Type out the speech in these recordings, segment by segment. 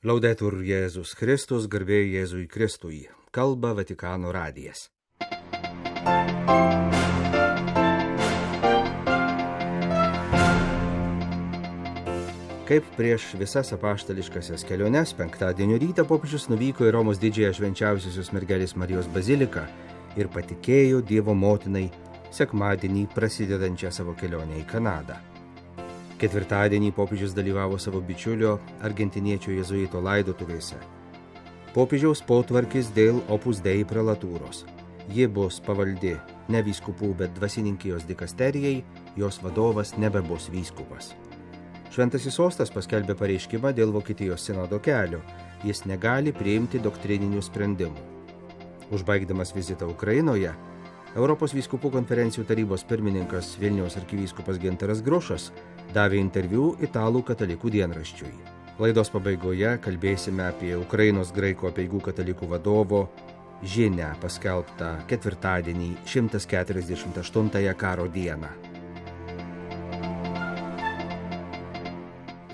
Laudetur Jėzus Kristus, garbė Jėzui Kristui, kalba Vatikano radijas. Kaip prieš visas apaštališkasias keliones, penktadienio rytą popiežius nuvyko į Romos didžiąją švenčiausiosios mergelės Marijos baziliką ir patikėjo Dievo motinai sekmadienį prasidedančią savo kelionę į Kanadą. Ketvirtadienį popiežius dalyvavo savo bičiulio argentiniečio jėzuito laidotuvėse. Popiežiaus potvarkis dėl Opus Dei prelatūros. Ji bus pavaldi ne vyskupų, bet dvasininkijos dikasterijai, jos vadovas nebebus vyskupas. Šventasis sostas paskelbė pareiškimą dėl Vokietijos sinodo kelio. Jis negali priimti doktrininių sprendimų. Užbaigdamas vizitą Ukrainoje, Europos vyskupų konferencijų tarybos pirmininkas Vilniaus arkivyskupas Gintaras Grušas davė interviu italų katalikų dienraščiui. Laidos pabaigoje kalbėsime apie Ukrainos graikų apeigų katalikų vadovo žinią paskelbtą ketvirtadienį 148 karo dieną.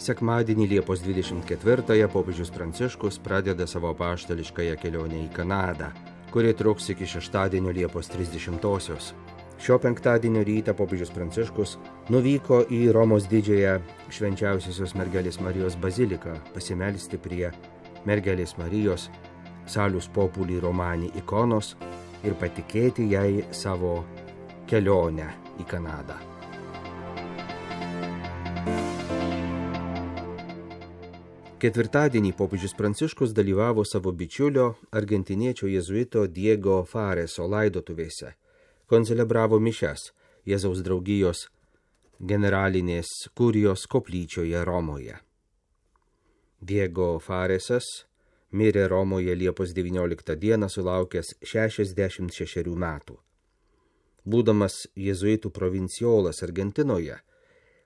Sekmadienį Liepos 24 popiežius Pranciškus pradeda savo apaštališkąją kelionę į Kanadą, kuri truks iki šeštadienio Liepos 30-osios. Šio penktadienio rytą popiežius Pranciškus nuvyko į Romos didžiąją švenčiausiosios mergelės Marijos baziliką pasimelsti prie mergelės Marijos Salus Populi Romani ikonos ir patikėti jai savo kelionę į Kanadą. Ketvirtadienį popiežius Pranciškus dalyvavo savo bičiulio argentiniečio jėzuito Diego Fareso laidotuvėse, koncelebravo mišias Jėzaus draugijos generalinės kurijos koplyčioje Romoje. Diego Faresas mirė Romoje Liepos 19 dieną sulaukęs 66 metų. Būdamas jėzuitų provinciolas Argentinoje,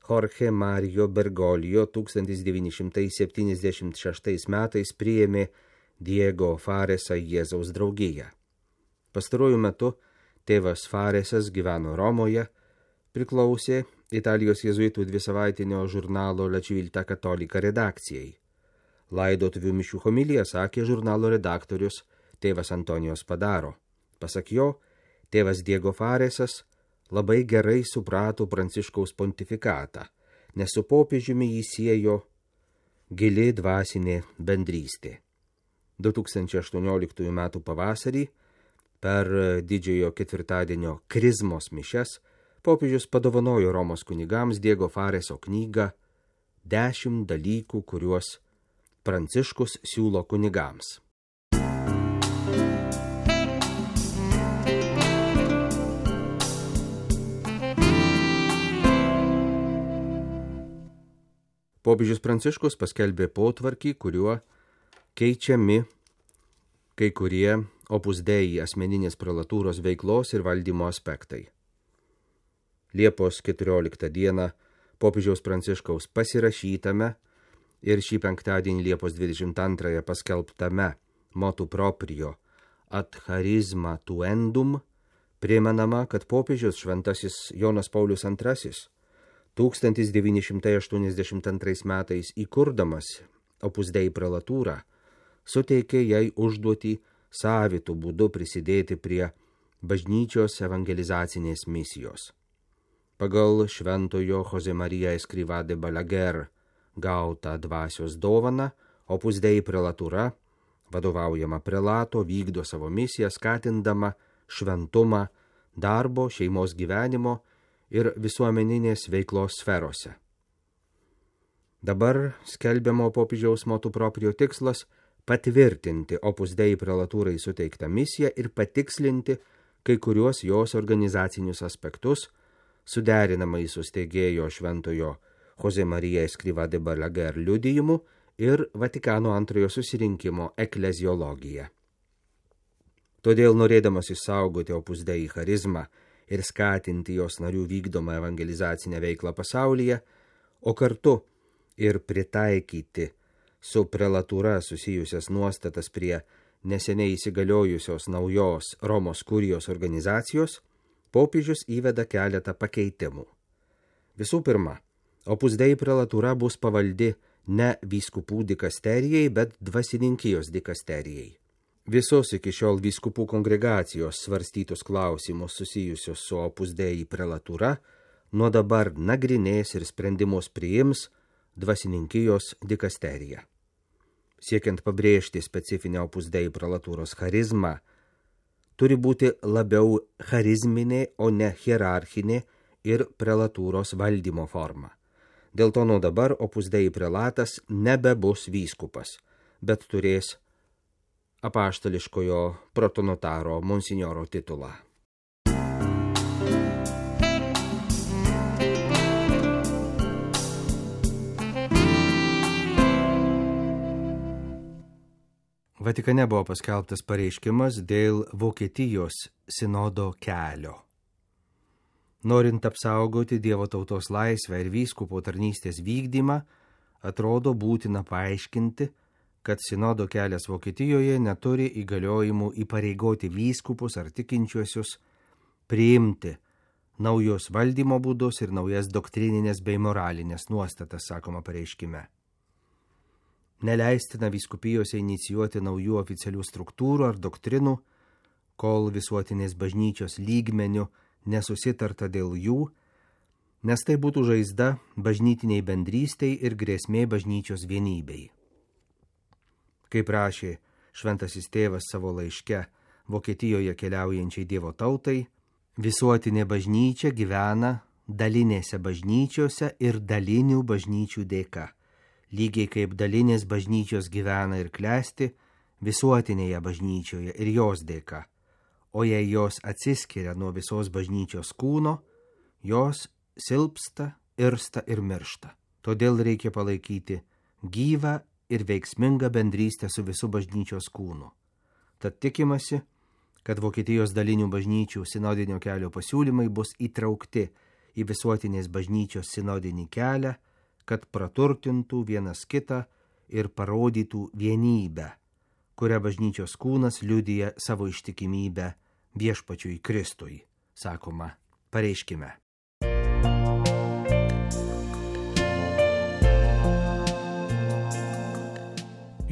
Jorge Mario Bergoglio 1976 metais priėmė Diego Faresą Jėzaus draugiją. Pastaruoju metu tėvas Faresas gyveno Romoje, priklausė Italijos jėzuitų dvisavaitinio žurnalo La Civiltà Cattolica redakcijai. Laidotuvių mišių homiliją sakė žurnalo redaktorius tėvas Antonijos Padaro. Pasak jo, tėvas Diego Faresas labai gerai suprato Pranciškaus pontifikatą, nes su popiežiumi jį siejo gili dvasinė bendrystė. 2018 m. pavasarį per didžiojo ketvirtadienio krizmos mišias popiežius padovanojo Romos kunigams Diego Fareso knygą 10 dalykų, kuriuos Pranciškus siūlo kunigams. Popiežius Pranciškus paskelbė potvarkį, kuriuo keičiami kai kurie Opus Dei asmeninės prelatūros veiklos ir valdymo aspektai. Liepos 14 dieną popiežiaus Pranciškaus pasirašytame ir šį penktadienį Liepos 22 paskelbtame motu proprio ad charisma tuendum primenama, kad popiežius šventasis Jonas Paulius II 1982 metais įkurdamas Opus Dei prelatūrą, suteikė jai užduotį savitų būdų prisidėti prie bažnyčios evangelizacinės misijos. Pagal šventojo Jose Maria Escrivá de Balaguer gautą dvasios dovaną, Opus Dei prelatūra, vadovaujama prelato, vykdo savo misiją, skatindama šventumą darbo, šeimos gyvenimo ir visuomeninės veiklos sferose. Dabar skelbiamo popiežiaus motu proprio tikslas patvirtinti Opus Dei prelatūrai suteiktą misiją ir patikslinti kai kuriuos jos organizacinius aspektus, suderinamai su steigėjo šventojo Jose Maria Escrivá de Balaguer liudijimu ir Vatikano antrojo susirinkimo ekleziologija. Todėl, norėdamas išsaugoti Opus Dei charizmą ir skatinti jos narių vykdomą evangelizacinę veiklą pasaulyje, o kartu ir pritaikyti su prelatūra susijusias nuostatas prie neseniai įsigaliojusios naujos Romos kurijos organizacijos, popiežius įveda keletą pakeitimų. Visų pirma, Opus Dei prelatūra bus pavaldi ne vyskupų dikasterijai, bet dvasininkijos dikasterijai. Visos iki šiol vyskupų kongregacijos svarstytus klausimus susijusius su Opus Dei prelatūra nuo dabar nagrinės ir sprendimus priims dvasininkijos dikasterija. Siekiant pabrėžti specifinę Opus Dei prelatūros charizmą, turi būti labiau charizminė, o ne hierarchinė ir prelatūros valdymo forma. Dėl to nuo dabar Opus Dei prelatas nebebus vyskupas, bet turės apaštališkojo protonotaro monsinjoro titulą. Vatikane buvo paskelbtas pareiškimas dėl Vokietijos sinodo kelio. Norint apsaugoti Dievo tautos laisvę ir vyskupo tarnystės vykdymą, atrodo būtina paaiškinti, kad sinodo kelias Vokietijoje neturi įgaliojimų įpareigoti vyskupus ar tikinčiuosius priimti naujus valdymo būdus ir naujas doktrininės bei moralinės nuostatas, sakoma pareiškime. Neleistina vyskupijose inicijuoti naujų oficialių struktūrų ar doktrinų, kol visuotinės bažnyčios lygmeniu nesusitarta dėl jų, nes tai būtų žaizda bažnytiniai bendrystei ir grėsmė bažnyčios vienybei. Kaip rašė šventasis tėvas savo laiške Vokietijoje keliaujančiai Dievo tautai, visuotinė bažnyčia gyvena dalinėse bažnyčiose ir dalinių bažnyčių dėka, lygiai kaip dalinės bažnyčios gyvena ir klesti visuotinėje bažnyčioje ir jos dėka, o jei jos atsiskiria nuo visos bažnyčios kūno, jos silpsta, irsta ir miršta. Todėl reikia palaikyti gyvą ir veiksmingą bendrystę su visu bažnyčios kūnu. Tad tikimasi, kad Vokietijos dalinių bažnyčių sinodinio kelio pasiūlymai bus įtraukti į visuotinės bažnyčios sinodinį kelią, kad praturtintų vienas kitą ir parodytų vienybę, kurią bažnyčios kūnas liudija savo ištikimybę viešpačiui Kristui, sakoma pareiškime.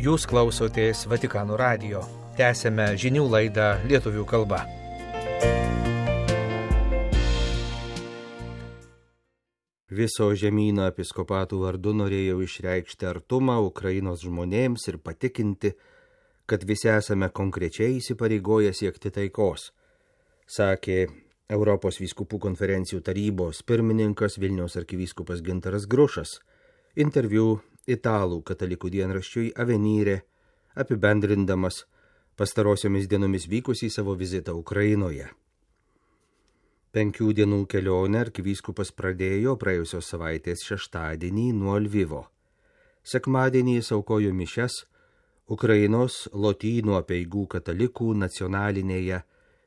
Jūs klausotės Vatikano radijo. Tęsėme žinių laidą lietuvių kalba. Viso žemyno episkopatų vardu norėjau išreikšti artumą Ukrainos žmonėms ir patikinti, kad visi esame konkrečiai įsipareigoję siekti taikos, sakė Europos vyskupų konferencijų tarybos pirmininkas Vilniaus arkivyskupas Gintaras Grušas, interviu Italų katalikų dienraščiui Avenire, apibendrindamas pastarosiomis dienomis vykusį savo vizitą Ukrainoje. 5 dienų kelionę arkivyskupas pradėjo praėjusios savaitės šeštadienį nuo Lvivo. Sekmadienį jis aukojo mišias Ukrainos Lotynų apeigų katalikų nacionalinėje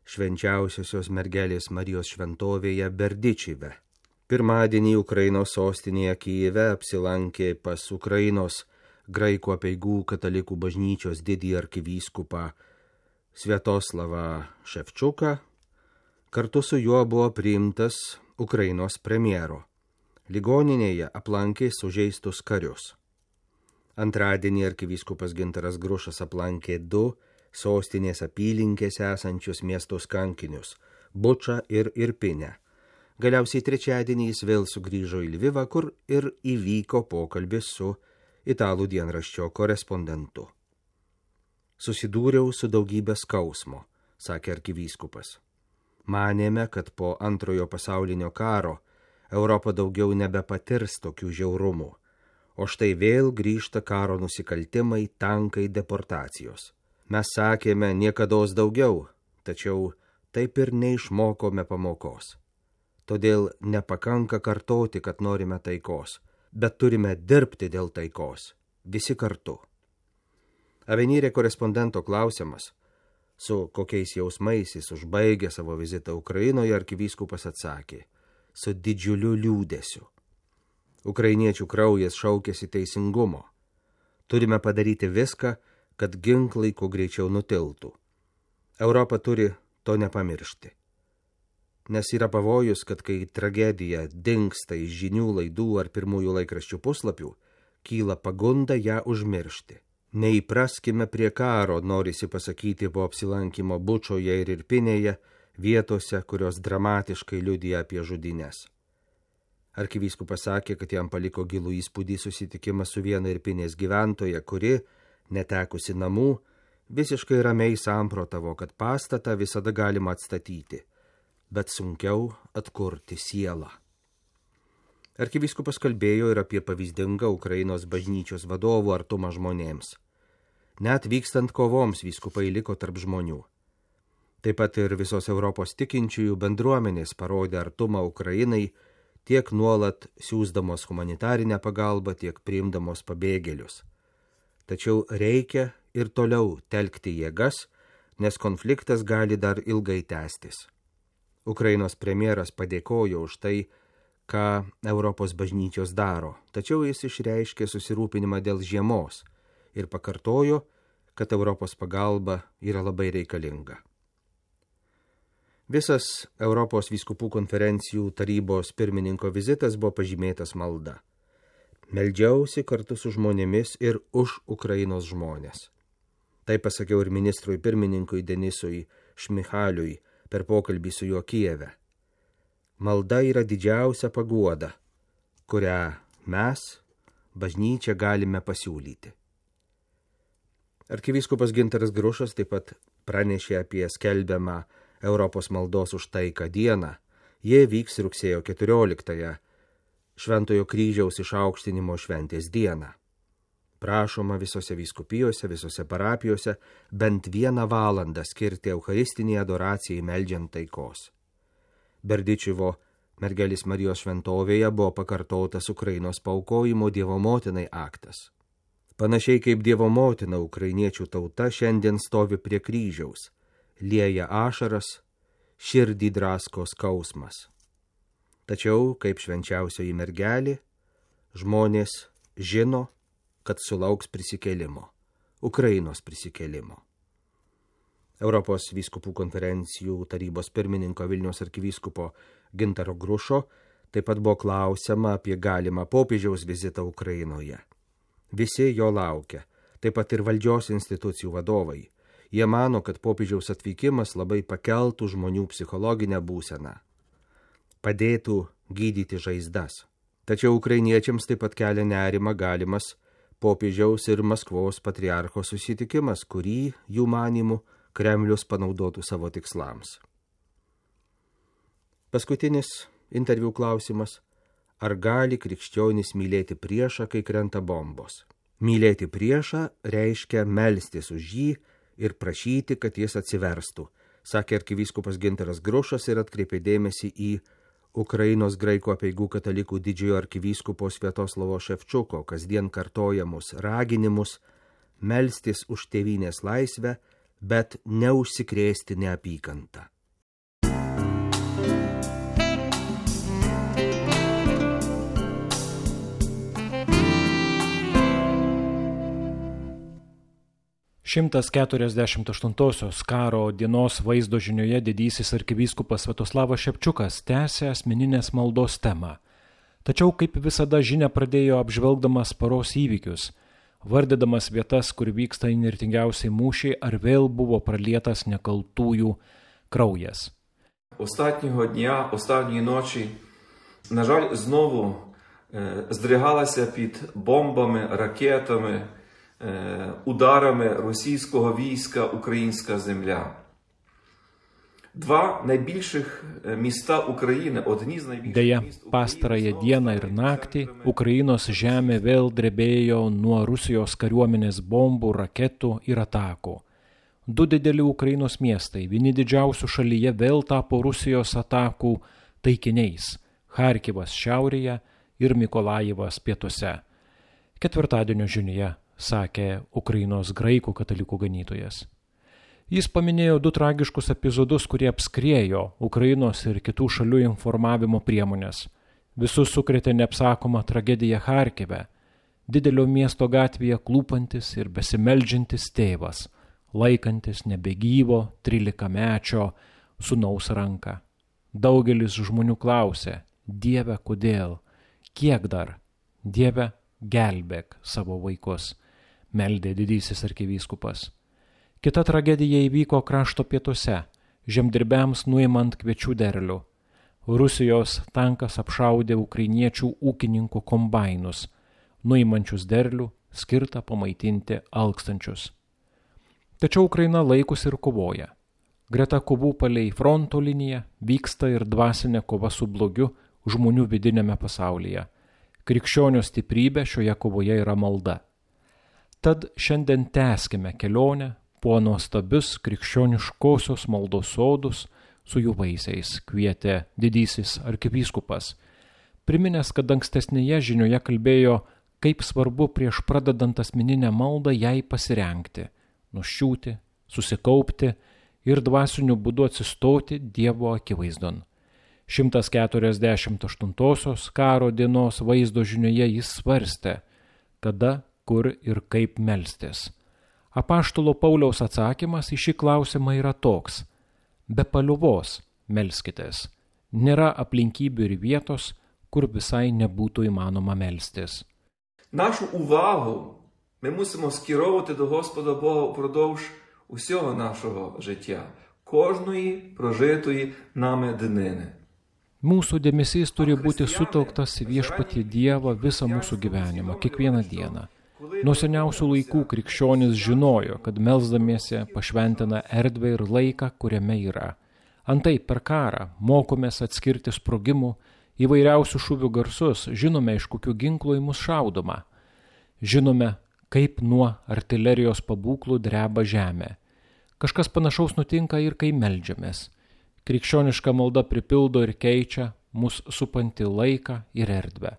švenčiausiosios mergelės Marijos šventovėje Berdičive. Pirmadienį Ukrainos sostinėje Kijeve apsilankė pas Ukrainos graikų apeigų katalikų bažnyčios didįjį arkivyskupą Sviatoslavą Ševčiuką. Kartu su juo buvo priimtas Ukrainos premjero. Ligoninėje aplankė sužeistus karius. Antradienį arkivyskupas Gintaras Grušas aplankė 2 sostinės apylinkėse esančius miestus kankinius – Bučą ir Irpinę. Galiausiai trečiadienį jis vėl sugrįžo į Lvivą, kur ir įvyko pokalbis su Italų dienraščio korespondentu. Susidūriau su daugybė skausmo, sakė arkivyskupas. Manėme, kad po Antrojo pasaulinio karo Europa daugiau nebepatirs tokių žiaurumų, o štai vėl grįžta karo nusikaltimai, tankai, deportacijos. Mes sakėme niekados daugiau, tačiau taip ir neišmokome pamokos. Todėl nepakanka kartoti, kad norime taikos, bet turime dirbti dėl taikos, visi kartu. Avenire korespondento klausimas, su kokiais jausmais jis užbaigė savo vizitą Ukrainoje, arkivyskupas atsakė, su didžiuliu liūdesiu. Ukrainiečių kraujas šaukėsi teisingumo. Turime padaryti viską, kad ginklai kuo greičiau nutiltų. Europa turi to nepamiršti. Nes yra pavojus, kad kai tragedija dingsta iš žinių laidų ar pirmųjų laikraščių puslapių, kyla pagunda ją užmiršti. Neįpraskime prie karo, norisi pasakyti po apsilankimo Bučoje ir Irpinėje, vietose, kurios dramatiškai liudija apie žudynes. Arkivyskupas sakė, kad jam paliko gilų įspūdį susitikimas su viena Irpinės gyventoja, kuri, netekusi namų, visiškai ramiai samprotavo, kad pastatą visada galima atstatyti, bet sunkiau atkurti sielą. Arkivyskupas kalbėjo ir apie pavyzdingą Ukrainos bažnyčios vadovų artumą žmonėms. Net vykstant kovoms vyskupai liko tarp žmonių. Taip pat ir visos Europos tikinčiųjų bendruomenės parodė artumą Ukrainai, tiek nuolat siųsdamos humanitarinę pagalbą, tiek priimdamos pabėgėlius. Tačiau reikia ir toliau telkti jėgas, nes konfliktas gali dar ilgai tęstis. Ukrainos premjeras padėkojo už tai, ką Europos bažnyčios daro, tačiau jis išreiškė susirūpinimą dėl žiemos ir pakartojo, kad Europos pagalba yra labai reikalinga. Visas Europos vyskupų konferencijų tarybos pirmininko vizitas buvo pažymėtas malda. Meldžiausi kartu su žmonėmis ir už Ukrainos žmonės. Tai pasakiau ir ministrui pirmininkui Denisui Šmichaliui per pokalbį su juo Kijeve. Malda yra didžiausia paguoda, kurią mes, bažnyčia, galime pasiūlyti. Arkivyskupas Gintaras Grušas taip pat pranešė apie skelbiamą Europos maldos už taiką dieną. Jie vyks rugsėjo 14-ąją, Šventojo kryžiaus išaukštinimo šventės dieną. Prašoma visose vyskupijose, visose parapijose bent 1 valandą skirti eucharistinį adoracijai meldžiant taikos. Berdičiuvo mergelės Marijos šventovėje buvo pakartotas Ukrainos paaukojimo Dievo motinai aktas. Panašiai kaip Dievo motina, ukrainiečių tauta šiandien stovi prie kryžiaus, lieja ašaras, širdį drasko skausmas. Tačiau, kaip švenčiausioji mergelė, žmonės žino, kad sulauks prisikėlimo, Ukrainos prisikėlimo. Europos vyskupų konferencijų tarybos pirmininko Vilniaus arkivyskupo Gintaro Grušo taip pat buvo klausima apie galimą popiežiaus vizitą Ukrainoje. Visi jo laukia, taip pat ir valdžios institucijų vadovai. Jie mano, kad popiežiaus atvykimas labai pakeltų žmonių psichologinę būseną, padėtų gydyti žaizdas. Tačiau ukrainiečiams taip pat kelia nerimą galimas popiežiaus ir Maskvos patriarcho susitikimas, kurį, jų manymų, Kremlius panaudotų savo tikslams. Paskutinis interviu klausimas: ar gali krikščionys mylėti priešą, kai krenta bombos? Mylėti priešą reiškia melstis už jį ir prašyti, kad jis atsiverstų, sakė arkivyskupas Gintaras Grušas ir atkreipė dėmesį į Ukrainos graikų apeigų katalikų didžiojo arkivyskupo Sviatoslavo Ševčuko kasdien kartojamus raginimus melstis už tėvynės laisvę, bet neužsikrėsti neapykantą. Šimtas 48-osios karo dienos vaizdo žinioje didysis arkivyskupas Sviatoslavas Ševčiukas tęsė asmeninės maldos temą. Tačiau kaip visada žinia pradėjo apžvelgdamas paros įvykius, vardydamas vietas, kur vyksta įnirtingiausiai mūšiai, ar vėl buvo pralietas nekaltųjų kraujas. Останнього дня, останньої ночі, на жаль, знову здригалася під бомбами, ракетами, ударами російського війська українська земля. Два найбільших міста України, одні з найбільших Deja, міст України. pastarąją dieną ir naktį Ukrainos žemė vėl drebėjo nuo Rusijos kariuomenės bombų, raketų ir atakų. 2 dideli Ukrainos miestai, vieni didžiausių šalyje, vėl tapo Rusijos atakų taikiniais – Charkivas šiaurėje ir Mikolajivas pietuose. Ketvirtadienio žinioje sakė Ukrainos graikų katalikų ganytojas. Jis paminėjo 2 tragiškus epizodus, kurie apskriejo Ukrainos ir kitų šalių informavimo priemonės. Visus sukrėtė neapsakoma tragedija Charkive, didelio miesto gatvėje klūpantis ir besimeldžiantis tėvas, laikantis nebegyvo 13-mečio sūnaus ranką. Daugelis žmonių klausė: Dieve, kodėl? Kiek dar? Dieve, gelbėk savo vaikus, meldė didysis arkivyskupas. Kita tragedija įvyko krašto pietuose, žemdirbiams nuimant kviečių derlių. Rusijos tankas apšaudė ukrainiečių ūkininkų kombainus, nuimančius derlių, skirtą pamaitinti alkstančius. Tačiau Ukraina laikosi ir kovoja. Greta kovų palei fronto liniją vyksta ir dvasinė kova su blogiu žmonių vidinėme pasaulyje. Krikščionio stiprybė šioje kovoje yra malda. Tad šiandien tęskime kelionę po nuostabius krikščioniškosios maldos sodus su jų vaisiais, kvietė didysis arkivyskupas. Priminęs, kad ankstesnėje žinioje kalbėjo, kaip svarbu prieš pradedant asmeninę maldą jai pasirengti, nuščiūti, susikaupti ir dvasiniu būdu atsistoti Dievo akivaizdon. 148 karo dienos vaizdo žinioje jis svarstė, kada, kur ir kaip melstis. Apaštalo Pauliaus atsakymas į šį klausimą yra toks: be paliovos melskitės. Nėra aplinkybių ir vietos, kur visai nebūtų įmanoma мelstis. Нашу увагу ми мусимо скеровувати до Господа Бога впродовж усього нашого життя, кожної прожитої нами днини. Mūsų dėmesys turi būti sutelktas į viešpatį Dievą visą mūsų gyvenimą, kiekvieną dieną. Nuo seniausių laikų krikščionys žinojo, kad melsdamiesi pašventina erdvę ir laiką, kuriame yra. Antai per karą mokomės atskirti sprogimų, įvairiausių šūvių garsus, žinome, iš kokių ginklų į mus šaudoma. Žinome, kaip nuo artilerijos pabūklų dreba žemė. Kažkas panašaus nutinka ir kai meldžiamės. Krikščioniška malda pripildo ir keičia mus supantį laiką ir erdvę,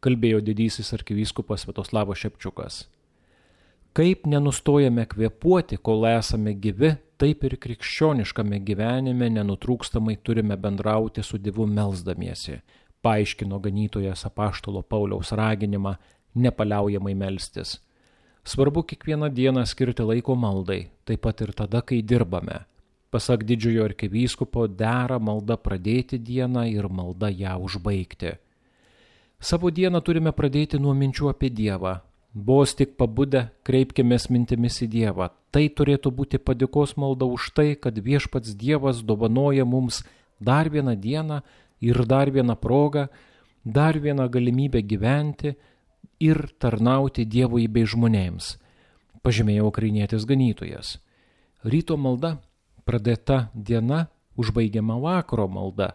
kalbėjo didysis arkivyskupas Sviatoslavas Šepčiukas. Kaip nenustojame kvėpuoti, kol esame gyvi, taip ir krikščioniškame gyvenime nenutrūkstamai turime bendrauti su Dievu melsdamiesi, paaiškino ganytojas apaštalo Pauliaus raginimą nepaliaujamai melstis. Svarbu kiekvieną dieną skirti laiko maldai, taip pat ir tada, kai dirbame. Pasak didžiojo arkivyskupo, dera malda pradėti dieną ir malda ją užbaigti. Savo dieną turime pradėti nuo minčių apie Dievą. Vos tik pabudę, kreipkimės mintimis į Dievą. Tai turėtų būti padėkos malda už tai, kad viešpats Dievas dovanoja mums dar vieną dieną ir dar vieną progą, dar vieną galimybę gyventi ir tarnauti Dievui bei žmonėms, pažymėjo ukrainietis ganytojas. Ryto malda, pradėta diena, užbaigiama vakaro malda,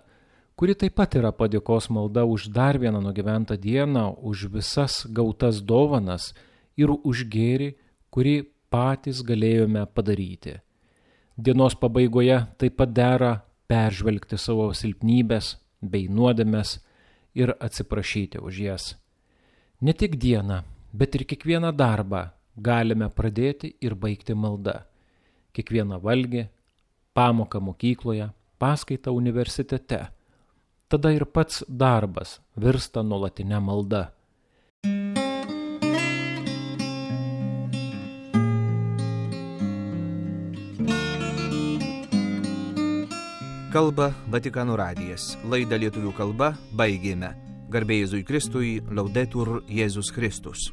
kuri taip pat yra padėkos malda už dar vieną nugyventą dieną, už visas gautas dovanas ir už gėrį, kurį patys galėjome padaryti. Dienos pabaigoje taip pat dera peržvelgti savo silpnybės bei nuodėmes ir atsiprašyti už jas. Ne tik dieną, bet ir kiekvieną darbą galime pradėti ir baigti malda. Kiekvieną valgį, pamoką mokykloje, paskaitą universitete. Tada ir pats darbas virsta nuolatinė malda. Kalba Vatikano radijas. Laidą lietuvių kalba baigėme. Garbė Jėzui Kristui, Laudetur Jėzus Kristus.